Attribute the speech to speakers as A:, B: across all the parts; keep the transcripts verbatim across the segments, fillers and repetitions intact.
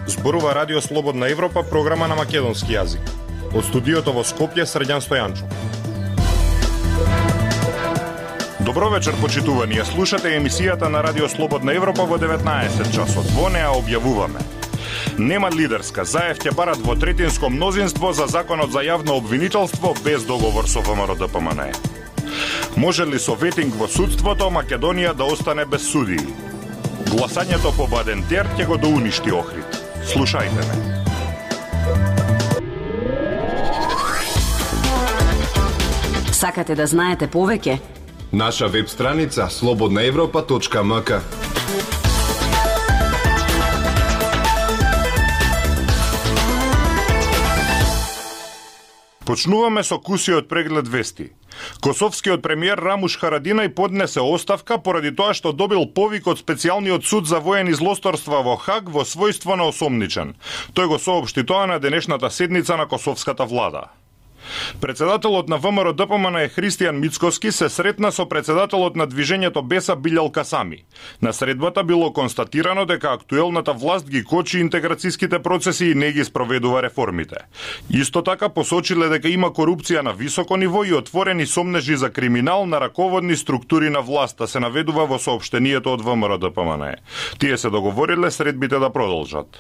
A: Зборува Радио Слободна Европа, програма на македонски јазик. Од студиото во Скопје, Срđan Стојанчов. Добро вечер, почитувани. Слушате емисијата на Радио Слободна Европа во деветнаесет часот. Во неа објавуваме: нема лидерска, Заев ќе бара двотретинско мнозинство за законот за јавно обвинителство без договор со ВМРО-ДПМНЕ. Може ли со ветинг во судството Македонија да остане без судии? Гласањето по Бадентер ќе го доуништи Охрид. Слушајте ме.
B: Сакате да знаете повеќе?
C: Наша веб страница слободна европа точка ем ка.
A: Почнуваме со кусиот преглед вести. Косовскиот премиер Рамуш Харадинај поднесе оставка поради тоа што добил повик од специјалниот суд за воени злосторства во Хаг во својство на осомничен. Тој го соопшти тоа на денешната седница на косовската влада. Председателот на ВМРО-ДПМНЕ Христијан Мицкоски се сретна со председателот на движењето Беса Билјал Касами. На средбата било констатирано дека актуелната власт ги кочи интеграцијските процеси и не ги спроведува реформите. Исто така посочиле дека има корупција на високо ниво и отворени сомнежи за криминал на раководни структури на власта, се наведува во соопштението од ВМРО-ДПМНЕ. Тие се договориле средбите да продолжат.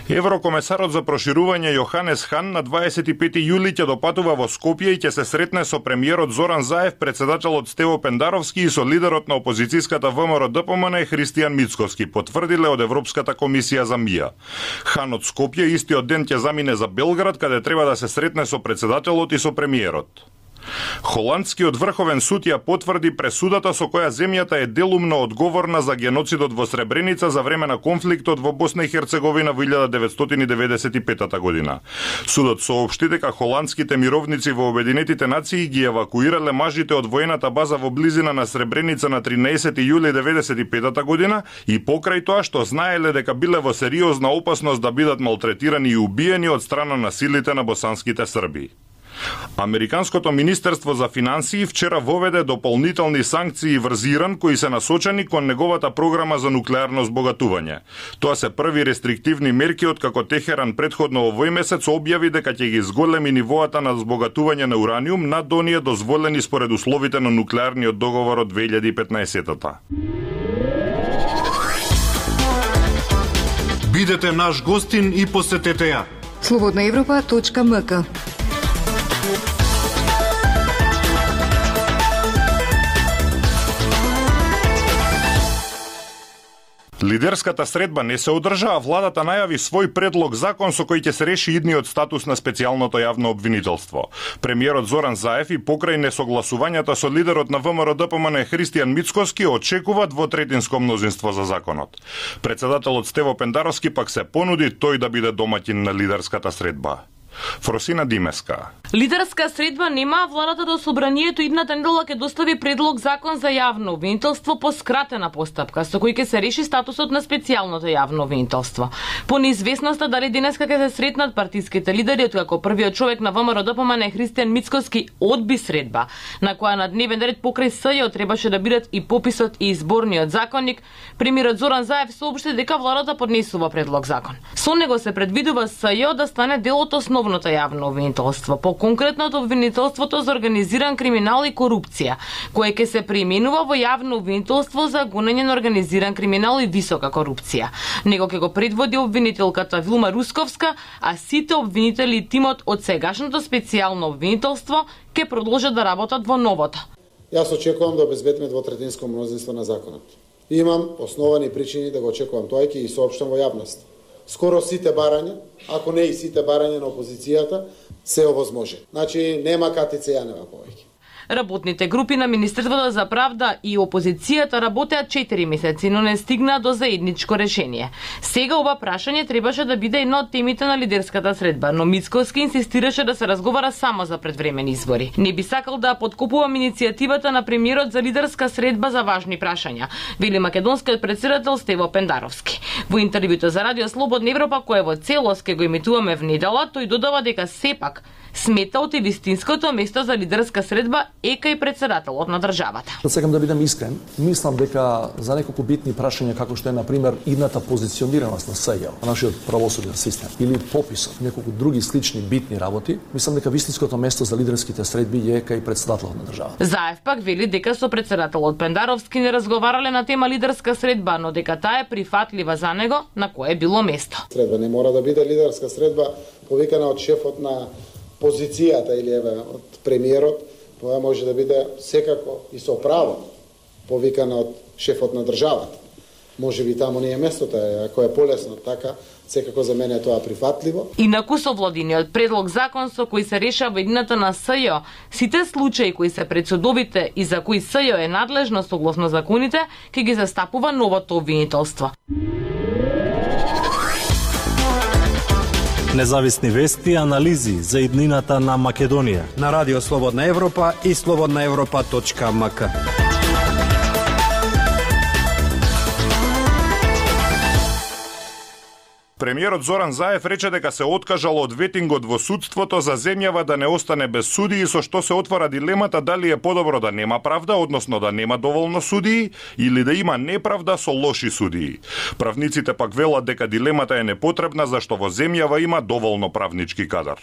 A: Еврокомесарот за проширување Јоханес Хан на дваесет и пети јули ќе допатува во Скопје и ќе се сретне со премиерот Зоран Заев, председателот Стево Пендаровски и со лидерот на опозицијската ВМРО-ДПМНЕ Христијан Мицкоски, потврдиле од Европската комисија за МИА. Хан од Скопје истиот ден ќе замине за Белград, каде треба да се сретне со председателот и со премиерот. Холандскиот врховен суд ја потврди пресудата со која земјата е делумно одговорна за геноцидот во Сребреница за време на конфликтот во Босна и Херцеговина во илјада деветстотини деветдесет и пета година. Судот соопшти дека холандските мировници во Обединетите нации ги евакуирале мажите од воената база во близина на Сребреница на тринаесети јули деветдесет и пета година и покрај тоа што знаеле дека биле во сериозна опасност да бидат малтретирани и убиени од страна на силите на босанските срби. Американското Министерство за финансии вчера воведе дополнителни санкции врз Иран кои се насочени кон неговата програма за нуклеарно збогатување. Тоа се први рестриктивни мерки откако Техеран претходно овој месец објави дека ќе ги зголеми нивоата на збогатување на ураниум над оние дозволени според условите на нуклеарниот договор од две илјади и петнаесета.
D: Бидете наш гостин и посетете ја.
E: слободна европа точка ем ка.
A: Лидерската средба не се одржа, а владата најави свој предлог закон со кој ќе се реши идниот статус на специјалното јавно обвинителство. Премиерот Зоран Заев и покрај несогласувањата со лидерот на ВМРО-ДПМНЕ Христијан Мицкоски очекува двотретинско мнозинство за законот. Председателот Стево Пендаровски пак се понуди тој да биде домаќин на лидерската средба. Фросина Димеска.
F: Лидерска средба нема, а владата до собранието идната недела ќе достави предлог закон за јавно обвинителство по скратена постапка, со кој ќе се реши статусот на специјалното јавно обвинителство. По неизвестноста дали денеска ќе се сретнат партиските лидери, откако првиот човек на ВМРО-ДПМНЕ Христијан Мицкоски одби средба, на која на дневен ред покрај СЈО требаше да бидат и пописот и изборниот законник, премиерот Зоран Заев соопшти дека владата поднесува предлог закон. Со него се предвидува СЈО да стане дел од основното јавно обвинителство, по конкретното обвинителството за организиран криминал и корупција, кое ќе се преименува во јавно обвинителство за гонење на организиран криминал и висока корупција. Него ќе го предводи обвинителката Вилма Русковска, а сите обвинители и тимот од сегашното специјално обвинителство ќе продолжат да работат во новото.
G: Јас очекувам да обезбедиме двотретинско мнозинство на законот. Имам основани причини да го очекувам, тоа ќе ги соопштам во јавност. Скоро сите барања, ако не и сите барања на опозицијата, се овозможи. Значи, нема катица јанева повеќе.
F: Работните групи на Министерството за правда и опозицијата работеа четири месеци, но не стигнаа до заедничко решение. Сега ова прашање требаше да биде една од темите на лидерската средба, но Мицкоски инсистираше да се разговара само за предвремени избори. Не би сакал да подкопувам иницијативата на премиерот за лидерска средба за важни прашања, вели македонскиот претседател Стево Пендаровски. Во интервјуто за Радио Слободна Европа, кое во целост ке го имитуваме внедела, тој додава дека сепак смета од вистинското место за лидерска средба е кај председателот на државата.
H: Сакам да бидам искрен, мислам дека за неколку битни прашања како што е на пример идната позиционираност на СЈО, на нашиот правосуден систем или пописот, неколку други слични битни работи, мислам дека вистинското место за лидерските средби е кај председателот на државата.
F: Заев пак вели дека со председателот Пендаровски не разговарале на тема лидерска средба, но дека таа е прифатлива за него, на кое било место.
G: Средба не мора да биде лидерска средба повикана од шефот на позицијата или еве од премиерот, тоа може да биде секако и со право повикана од шефот на државата. Може би таму не е местото, ако е полесно така, секако за мене е тоа прифатливо.
F: Инаку со владиниот предлог закон со кој се решава едината на СЈО, сите случаи кои се пред судовите и за кои СЈО е надлежно согласно законите, ќе ги застапува новото обвинителство.
I: Независни вести и анализи за иднината на Македонија
J: на Радио Слободна Европа и слободна европа точка ем ка.
A: Премиерот Зоран Заев рече дека се откажал од ветингот во судството за земјава да не остане без судии, со што се отвора дилемата дали е подобро да нема правда, односно да нема доволно судии, или да има неправда со лоши судии. Правниците пак велат дека дилемата е непотребна, зашто во земјава има доволно правнички кадар.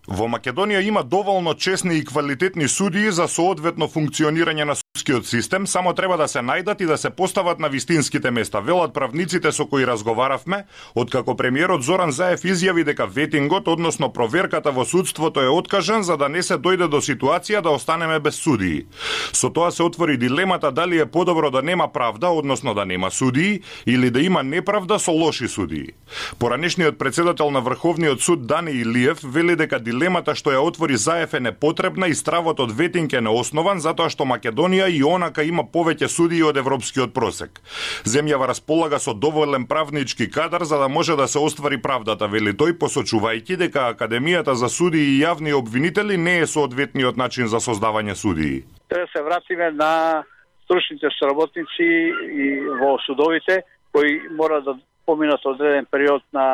A: Во Македонија има доволно честни и квалитетни судии за соодветно функционирање на судскиот систем, само треба да се најдат и да се постават на вистинските места, велат правниците со кои разговаравме, откако премиерот Зоран Заев изјави дека ветингот, односно проверката во судството е откажан за да не се дојде до ситуација да останеме без судии. Со тоа се отвори дилемата дали е подобро да нема правда, односно да нема судии, или да има неправда со лоши судии. Поранешниот председател на Врховниот суд Дани Илиев вели дека дилемата што ја отвори Заев е непотребна и стравот од ветинг е неоснован затоа што Македонија и онака има повеќе судии од европскиот просек. Земјава располага со доволен правнички кадар за да може да се оствари правдата, вели тој, посочувајќи дека Академијата за судии и јавни обвинители не е соодветниот начин за создавање судии.
K: Треба да се вратиме на стручните соработници и во судовите кои мора да поминат одреден период на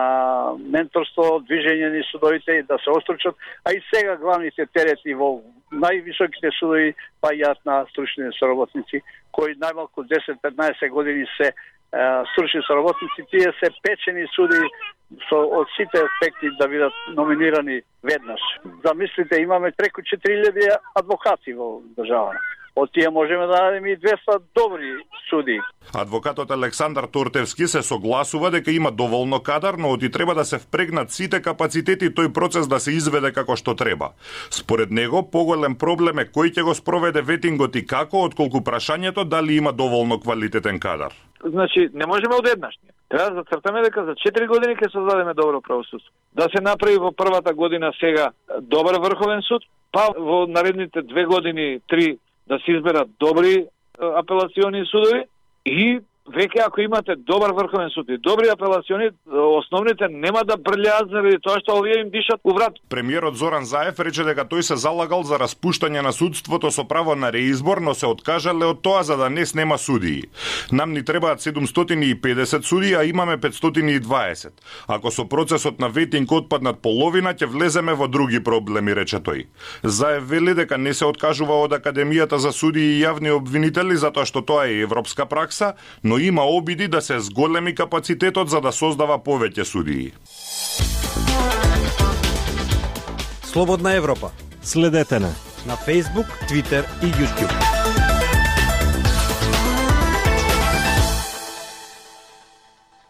K: менторство, движење на судовите и да се остручат, а и сега главните терети во највисоките судови паѓаат на стручни соработници, кои најмалку десет-петнаесет години се е, стручни соработници, тие се печени суди со од сите аспекти да бидат номинирани веднаш. Замислите, имаме преку четири илјади адвокати во државата. Од тие можеме да најдеме и двеста добри судии.
A: Адвокатот Александар Тортевски се согласува дека има доволно кадар, но оти треба да се впрегнат сите капацитети тој процес да се изведе како што треба. Според него, поголем проблем е кој ќе го спроведе ветингот и како, отколку прашањето дали има доволно квалитетен кадар.
L: Значи, не можеме одеднаш. Треба да зацртаме дека за четири години ќе создадеме добро правосудство. Да се направи во првата година сега добар врховен суд, па во наредните две години, три, да се изберат добри апелациони судови и веќе ако имате добар врховен суд и добри апелациони, основните нема да брљаат заради тоа што овие им дишат у врат.
A: Премиерот Зоран Заев рече дека тој се залагал за распуштање на судството со право на реизбор, но се откажале од тоа за да не снема судии. Нам ни требаат седумстотини и педесет судии, а имаме петстотини и дваесет. Ако со процесот на ветинг отпаднат половина, ќе влеземе во други проблеми, рече тој. Заев вели дека не се откажува од Академијата за судии и јавни обвинители затоа што тоа е европска пракса, но има обиди да се зголеми капацитетот за да создава повеќе судии.
J: Слободна Европа.
I: Следете на
J: на Facebook, Twitter и YouTube.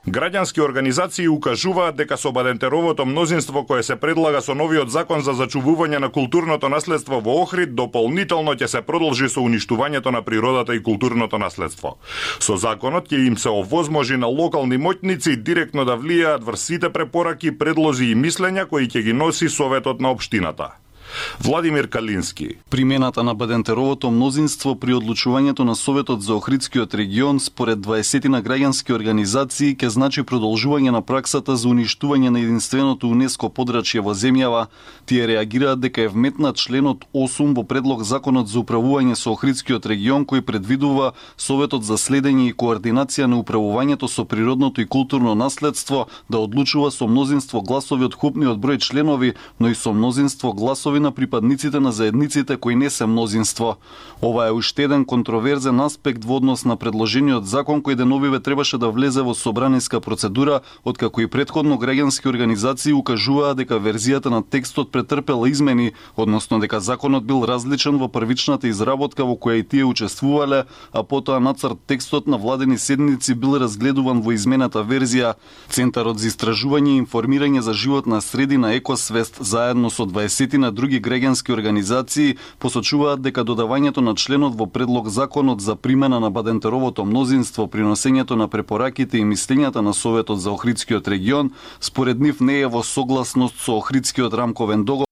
A: Граѓански организации укажуваат дека со Бадентеровото мнозинство кое се предлага со новиот закон за зачувување на културното наследство во Охрид, дополнително ќе се продолжи со уништувањето на природата и културното наследство. Со законот ќе им се овозможи на локални моќници директно да влијаат врз сите препораки, предлози и мислења кои ќе ги носи Советот на општината. Владимир Калински.
M: Примената на Бадентеровото мнозинство при одлучувањето на Советот за Охридскиот регион според дваесет на граѓански организации ќе значи продолжување на праксата за уништување на единственото УНЕСКО подрачје во земјава. Тие реагираат дека е вметнат членот осум во предлог законот за управување со Охридскиот регион кој предвидува Советот за следење и координација на управувањето со природното и културно наследство да одлучува со мнозинство гласови од купниот број членови, но и со мнозинство гласови на припадниците на заедниците кои не се мнозинство. Ова е уште еден контроверзен аспект во однос на предложениот закон кој деновиве требаше да влезе во собраниска процедура, откако и претходно граѓански организации укажуваа дека верзијата на текстот претрпела измени, односно дека законот бил различен во првичната изработка во која и тие учествувале, а потоа нацрт текстот на владени седници бил разгледуван во измената верзија. Центарот за истражување и информирање за животна средина Екосвест заедно со дваесет на други граѓански организации посочуваат дека додавањето на членот во предлог законот за примена на Бадентеровото мнозинство при носењето на препораките и мислењата на Советот за Охридскиот регион според нив не е во согласност со Охридскиот рамковен договор.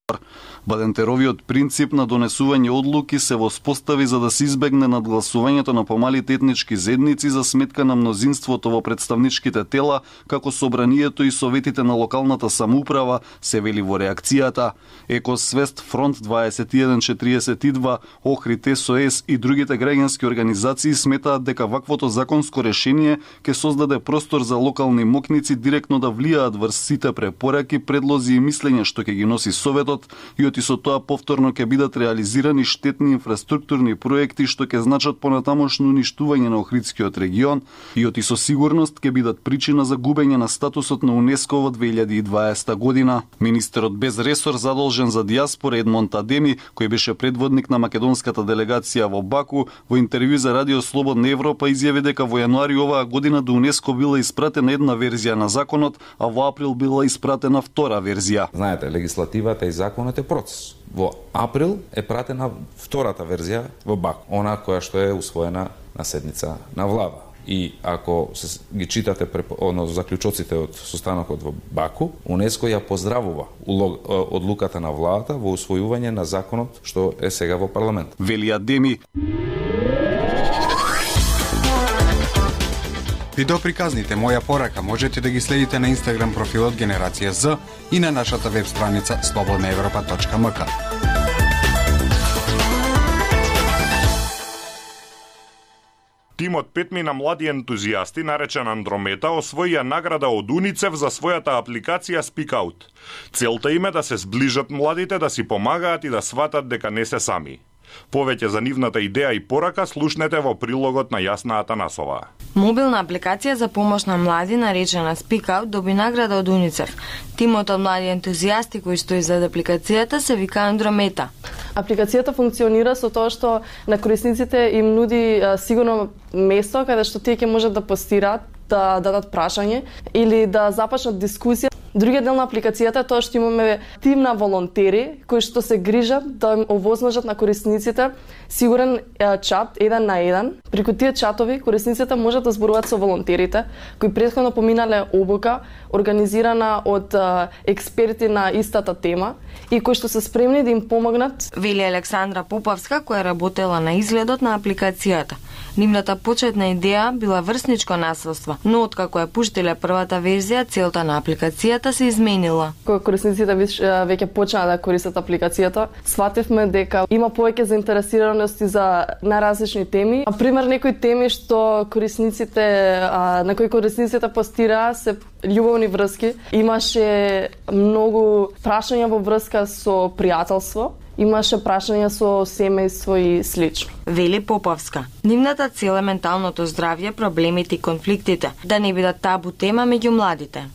M: Бадентеровиот принцип на донесување одлуки се воспостави за да се избегне надгласувањето на помалите етнички заедници за сметка на мнозинството во представничките тела, како собранието и советите на локалната самоуправа, се вели во реакцијата. Екосвест, Фронт дваесет и еден четириесет и два, Охрид, СОС и другите граѓански организации сметаат дека ваквото законско решение ќе создаде простор за локални мокници директно да влијаат врз сите препораки, предлози и мислења што ќе ги носи Советот и и со тоа повторно ќе бидат реализирани штетни инфраструктурни проекти што ќе значат понатамошно уништување на Охридскиот регион и оти со сигурност ќе бидат причина за губење на статусот на УНЕСКО во две илјади и дваесета година. Министерот без ресор задолжен за дијаспора Едмонд Адеми, кој беше предводник на македонската делегација во Баку, во интервју за Радио Слободна Европа изјави дека во јануари оваа година до УНЕСКО била испратена една верзија на законот, а во април била испратена втора верзија.
N: Знаете, легислативата и законот е процес. Во април е пратена втората верзија во Баку, она која што е усвоена на седница на влада. И ако се ги читате одно заклучоците од состанокот во Баку, УНЕСКО ја поздравува одлуката на владата во усвојување на законот што е сега во парламент.
M: Вели Адеми.
D: Видеоприказните Моја порака можете да ги следите на Инстаграм профилот Генерација З и на нашата веб страница слободна европа точка ем ка.
A: Тимот петми на млади ентузијасти, наречен Андромета, освоија награда од УНИЦЕФ за својата апликација Speak Out. Целта им е да се сближат младите, да си помагаат и да сватат дека не се сами. Повеќе за нивната идеја и порака слушнете во прилогот на Јасна Атанасова.
O: Мобилна апликација за помош на млади, наречена Speak Out, доби награда од УНИЦЕФ. Тимот од млади ентузијасти кои стои зад апликацијата се вика Андромета.
P: Апликацијата функционира со тоа што на корисниците им нуди а, сигурно место каде што тие ќе можат да постираат, да дадат прашање или да започнат дискусија. Другиот дел на апликацијата е тоа што имаме тим на волонтери кои што се грижат да им овозможат на корисниците сигурен чат еден на еден. Преку тие чатови корисниците можат да зборуваат со волонтерите кои претходно поминале обука организирана од а, експерти на истата тема и кои што се спремни да им помогнат.
O: Вели Александра Попавска која работела на изгледот на апликацијата. Нивната почетна идеја била врсничко насилство, но откако ја пуштиле првата верзија, целта на апликацијата се изменила.
P: Кога корисниците веќе почнаа да користат апликацијата, свативме дека има повеќе заинтересираност за најразлични теми. На пример, некои теми што корисниците на кои корисниците постираа се љубовни врски. Имаше многу прашања во врска со пријателство. Имаше прашања со семејство и слично.
O: Вели Поповска. Нивната цел е менталното здравје, проблемите и конфликтите, да не бидат табу тема меѓу младите.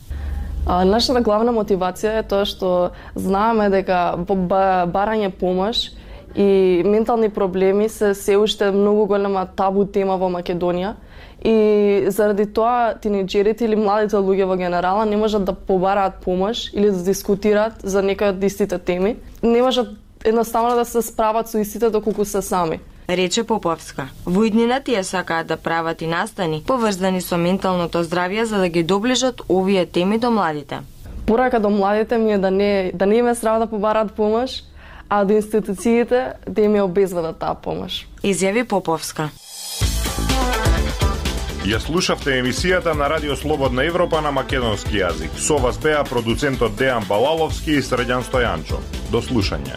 P: А, нашата главна мотивација е тоа што знаеме дека барање помош и ментални проблеми се се уште многу голема табу тема во Македонија. И заради тоа тинеџерите или младите луѓе во генерала не можат да побараат помош или да дискутираат за некои од истите теми. Не можат едноставно да се справат со истите доколку се сами.
O: Рече Поповска. Во иднина тие сакаат да прават и настани поврзани со менталното здравје за да ги доближат овие теми до младите.
P: Порака до младите ми е да не да не име страв да побараат помош, а до институциите да им ја обезбедат таа помош.
O: Изјави Поповска.
A: Ја слушавте емисијата на Радио Слободна Европа на македонски јазик. Со вас беа продуцентот Дејан Балаловски и Срđan Стојанчо. До слушање.